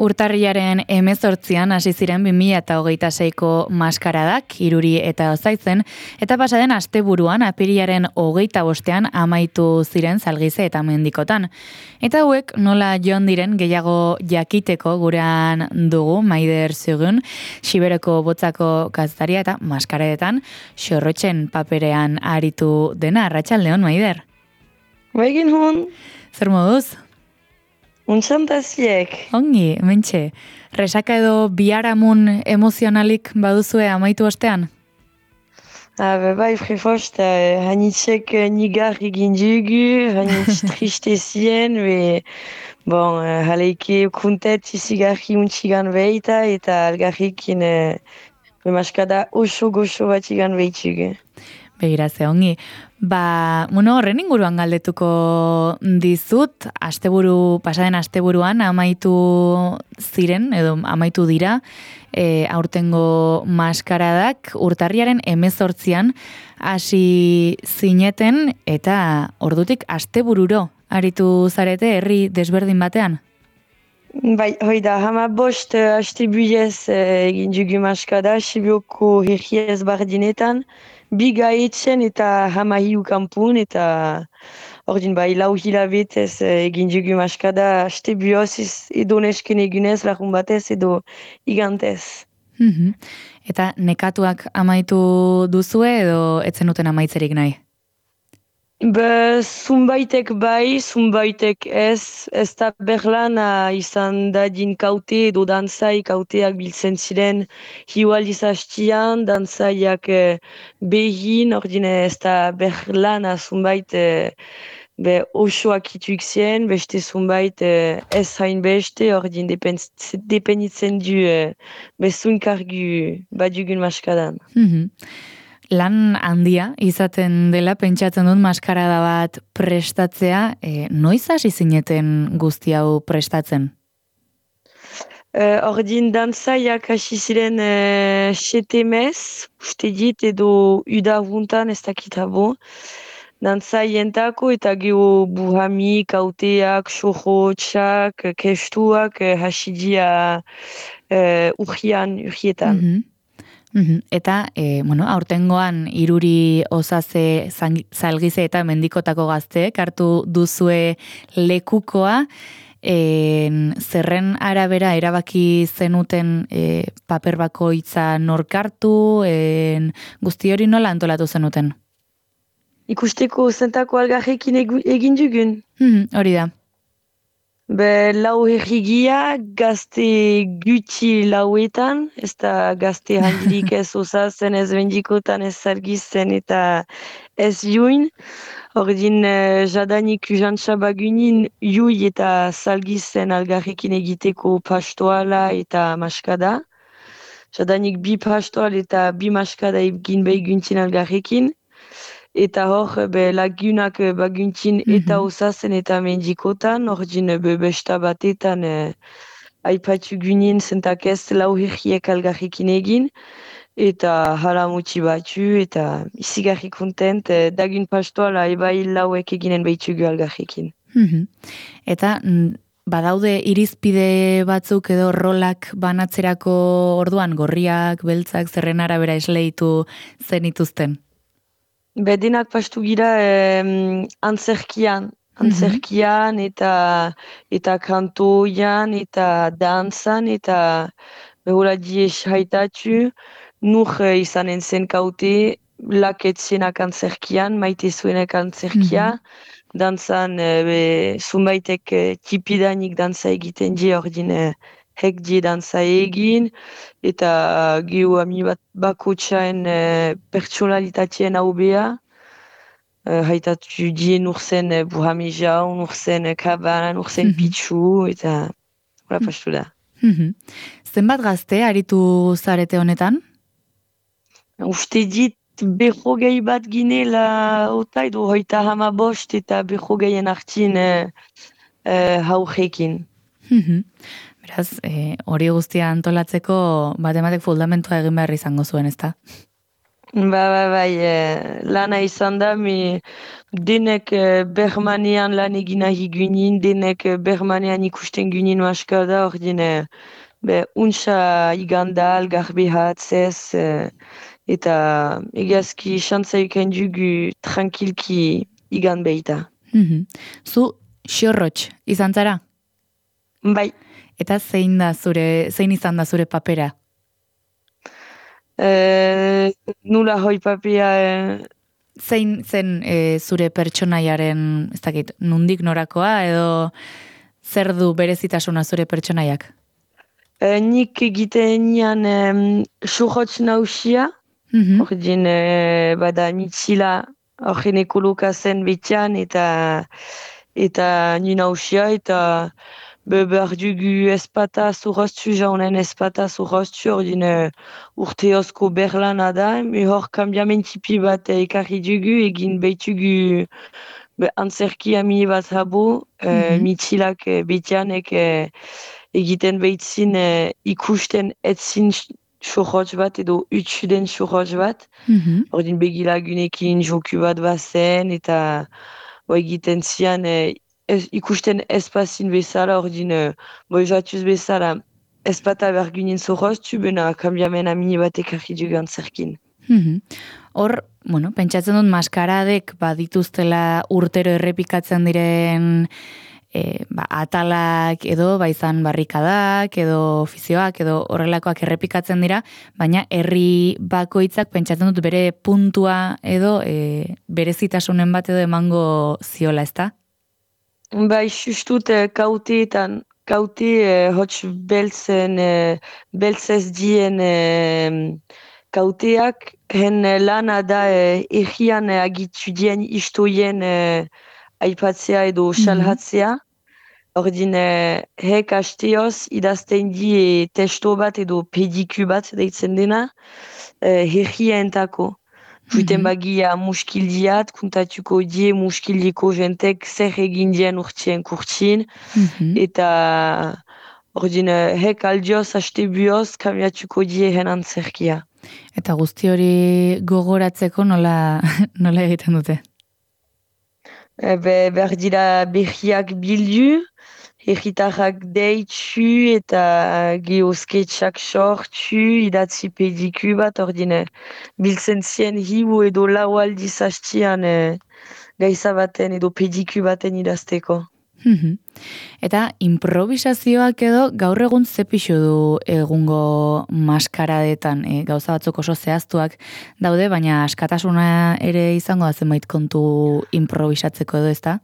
Urtarriaren 18an hasi ziren 2026ko maskaradak, Iruri eta Ozaitzen, eta pasaden asteburuan apirilaren 25ean amaitu ziren Zalgize eta Mendikotan. Eta hauek nola joan diren gehiago jakiteko gurean dugu Maider Zugun, Xiberoko botzako kazetaria eta maskaradetan xorrotxen paperean aritu dena. Arratsaldeon, Maider. Baigin hon. Zer moduz? Untxantaziek. Ongi, mentxe. Resaka edo biharamun emozionalik baduzue amaitu ostean? Bai, frefost, hanitxek nigar egin dugu, hanitx tristezien, bon, haleike kuntet izigarri untxigan behita, eta algarrikin maskada oso goxo bat igan behitugu. Begira ze ongi. Horren inguruan galdetuko dizut, pasaden asteburuan amaitu ziren, edo amaitu dira, aurtengo maskaradak urtarriaren 18an hasi zineten, eta ordutik astebururo aritu zarete herri desberdin batean? Bai, hoi da, 15 astebuiez egin dugu maskada, Sibioko herriez bardinetan, biga etxen eta 15 kanpun, eta ordin bai, lau hilabetez egin dugu maskada, astebioz edo nesken egunez, lagun batez edo igantez. Eta nekatuak amaitu duzue edo etzen duten amaitzerik nahi? Zumbaitek bai, zumbaitek ez da berlana izan dadin kaute edo dantzai kauteak biltzen ziren hiualdiz hastian, dantzaiak behin, ordine ez da berlana zumbait osoak ituik zien, beste zumbait ez hain beste, ordin depenitzen du bezunkargu badugun maskadan. Lan handia izaten dela, pentsatzen dut maskarada bat prestatzea, noiz hasi zineten guzti hau prestatzen? Ordin dantzaiak hasi ziren 7 mez, uste dit edo udahuntan ez dakitabo. Dantzaientako eta geho buhami, kauteak, sohotxak, kestuak hasi dia urrietan. Eta, aurtengoan Iruri, Ozaze, Zalgize eta Mendikotako gazteek hartu duzue lekukoa, zerren arabera erabaki zenuten paper bakoitza norkartu, guzti hori nola antolatu zenuten? Ikusteko zentako algarrekin egin dugun. Hori da. Lau herrigia, gazte gutxi lauetan, ez da gazte handirik ez Ozazen, ez Mendikotan, ez Zalgizen eta ez juin. Ordin jadanik jantzabagunin jui eta Zalgizen algarrekin egiteko pastoala eta maskada. Jadanik bi pastoal eta bi maskada egin behiguntzin algarrekin. Eta hor, lagunak baguntzin eta Ozazen eta Mendikotan, ordin besta batetan aipatu gunin zentak ez lau herriek algarrekin egin, eta hala mutxi batu, eta izigarri kontent, dagun pastoala ebai lauek eginen behitugu algarrekin. Eta badaude irizpide batzuk edo rolak banatzerako orduan, gorriak, beltzak, zerren arabera esleitu zenituzten? Denak pastu gira antzerkian eta kantoian eta dantzan eta behola dies haitatu, nur izanen zen kaute, laketzenak antzerkian, maite zuenak antzerkia, dantzan zumbaitek tipidanik dantza egiten die ordin hek die dantza egin, eta geho ami bat bakotxaen pertsonalitatien haubea, haitatu die nurzen buhami jau, nurzen kabana, nurzen pitsu, eta hori pastu da. Zenbat gazte aritu zarete honetan? Uste dit behogei bat ginela ota edo 35 eta behogeien hartin haujekin. Beraz, hori guztia antolatzeko batematek fundamentua egin behar izango zuen, ezta? Bai, lana izan da, denek Bermanean lan egin nahi ginen, denek Bermanean ikusten ginen maska da, untsa iganda, algarbe hatzez, eta egiazki xantza ikan dugu tranquilki igan behita. Mhm. Zu xorrotx izan zara? Bai, Eta zein izan da zure papera? nula hoi papia, Zein zen zure pertsonaiaren, ez dakit, nundik norakoa edo zer du berezitasuna zure pertsonaiak? nik egiten nian xurrotx nausia, Mhm. ordin bada mitxila horren ekoloka zen betian eta ni nausia eta behar dugu espata zurroztu jaunen espata zurroztu ordin urteozko berlana da, hor kambiamentipi bat ekarri dugu egin behitugu antzerki amini bat habo, mitxilak betianek egiten behitzin ikusten etzin xurrotx bat edo utxuden xurrotx bat. Mhm. Ordin begilagunekin joku bat bazen eta egiten zian ikusten espazin bezala, ordin jatuz bezala espata bergunin zorroztu, bena kambiamen amini bat ekarri dugu antzerkin. Mhm. Hor, bueno, pentsatzen dut maskaradek badituztela urtero errepikatzen diren atalak edo baizan barrikadak edo ofizioak edo horrelakoak errepikatzen dira, baina herri bakoitzak pentsatzen dut bere puntua edo berezitasunen bat edo emango ziola, ezta? Bai, justut kauteetan, hots beltzez dien kauteak, hen lana da egian agitu dien istoien aipatzea edo salhatzea. Ordin, hek asteoz idazten die testo bat edo pediku bat deitzen dena, herrientako. Juiten bagia muskildiat, kuntatuko die muskildiko jentek zer egin dien urtien kurtsin, eta ordin, hek aldioz aste bioz kamiatuko die hen antzerkia. Eta guzti hori gogoratzeko nola egiten dute? Behar dira berriak bildu, herritarrak deitzu eta geosketxak sortu, idatzi pediku bat, ordine biltzen zien hiu edo lau aldiz hastian gaiza baten edo pediku baten idazteko. Eta improvisazioak edo gaur egun ze pixu du egungo maskaradetan, gauza batzuk oso zehaztuak daude, baina askatasuna ere izango da zenbait kontu improvisatzeko edo, ezta?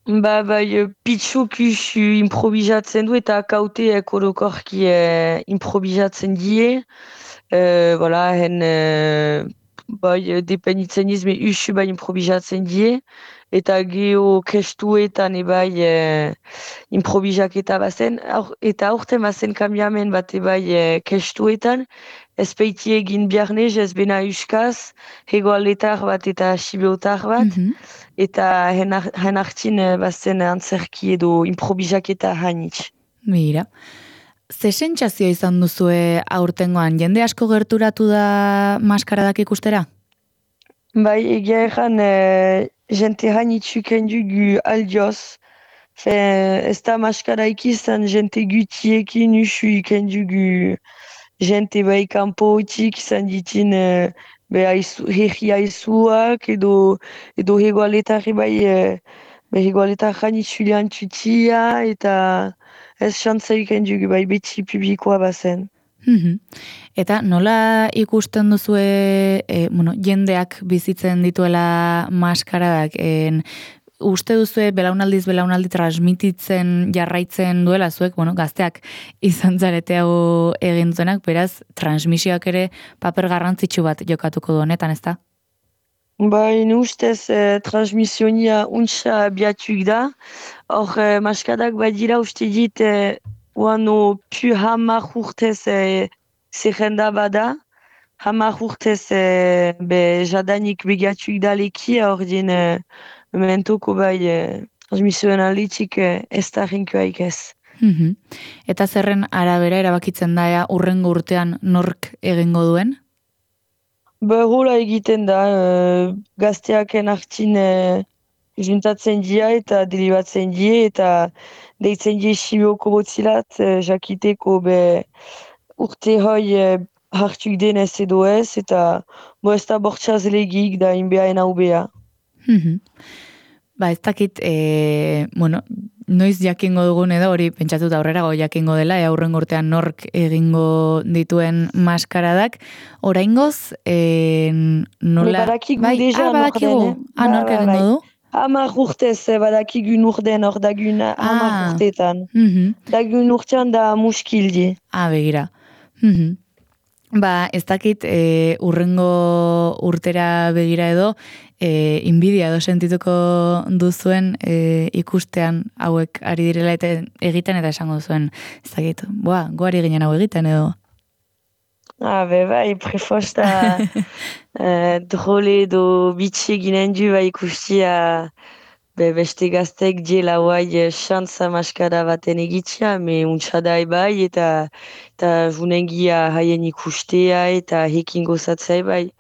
Bai, pitxukusu improvisatzen du eta kauteek orokorki improvisatzen die. Bai, dependitzen izme usu bai improvisatzen die. Eta geho kestuetan ebai improvisaketa bazen. Eta aurten bazen kambiamen bat ebai kestuetan. Ez peiti egin biarnez, ez bena uskaz, hegoaletar bat eta sibeotar bat. Eta hen hartin bazen antzerki edo improvisaketa hainitz. Mira. Ze sentsazio izan duzue aurtengoan? Jende asko gerturatu da maskaradak ikustera? Bai, egia erran jente hainitzuken dugu aldioz. Ez da maskaraik izan jente gutiekin usu iken dugu jente bai kanpotik izan ditin herri aizuak edo hegoaletarri bai hegoaletar hainitzulean tutia eta ez xantza iken dugu bai beti publikoa bazen. Eta nola ikusten duzue jendeak bizitzen dituela maskaradak? Uste duzue belaunaldi transmititzen jarraitzen duela zuek, gazteak izan zarete hau egin dutenak, beraz, transmisioak ere paper garrantzitsu bat jokatuko du honetan, ezta? Bai, ustez transmisionia untsa biatuk da. Hor, maskadak badira uste dit oano pu hamar urtez zerrenda bada. Hamar urtez jadanik begatuk da leki, ordin mementoko bai transmisioen alditik ez da rinkoaik ez. Eta zerren arabera erabakitzen da urrengo urtean nork egingo duen? Hola egiten da, gazteaken hartin juntatzen dira eta delibatzen die eta deitzen die sibioko botzilat, jakiteko urte hoi hartuk denez edo ez, eta ez da bortxaz legik da inbeaen hau bea. Mhm. Ba, ez dakit, bueno, noiz jakingo dugun edo hori pentsatuta aurrerago jakingo dela, aurrengo urtean nork egingo dituen maskaradak. Oraingoz, nola... Badakigu Bai, deja badakigu. norden, Nork egingo bai. du? 10 urtez badakigu norden hor dagun 10 urtetan. Mhm. Dagun urtean da muskildi. Begira. Mhm. Ba, ez dakit urrengo urtera begira edo, inbidia edo sentituko duzuen ikustean hauek ari direla eta egiten eta esango duzuen, ez dakit, goari ginen hau egiten edo. Bai, prefosta drole edo bitxi ginen du ikustia beste gaztek diela guai xantza maskara baten egitzia, me untsadai bai eta junengia haien ikustea eta hekin gozatzea bai.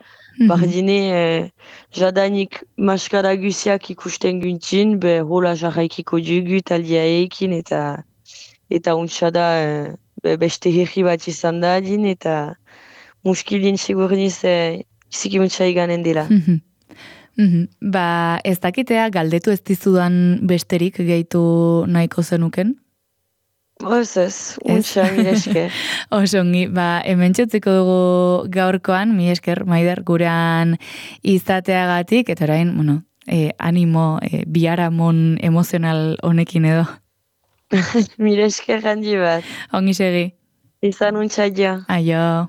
Bardine, jadanik maskara guziak ikusten guntzin, hola jarraikiko dugu taldia ekin eta untsada beste herri bat izan da adin eta muskilin segurniz zikimuntza iganen dela. Ba, ez dakitea galdetu ez dizudan besterik gehitu nahiko zenuken? Ez, untsa, mire esker. Osongi, ba, hemen txutziko dugu gaurkoan, mi esker, Maider, gurean izateagatik, eta orain, bueno, animo, biharamon emozional honekin edo. Mire esker handi bat. Ongi segi. Izan untsa ja. Aio.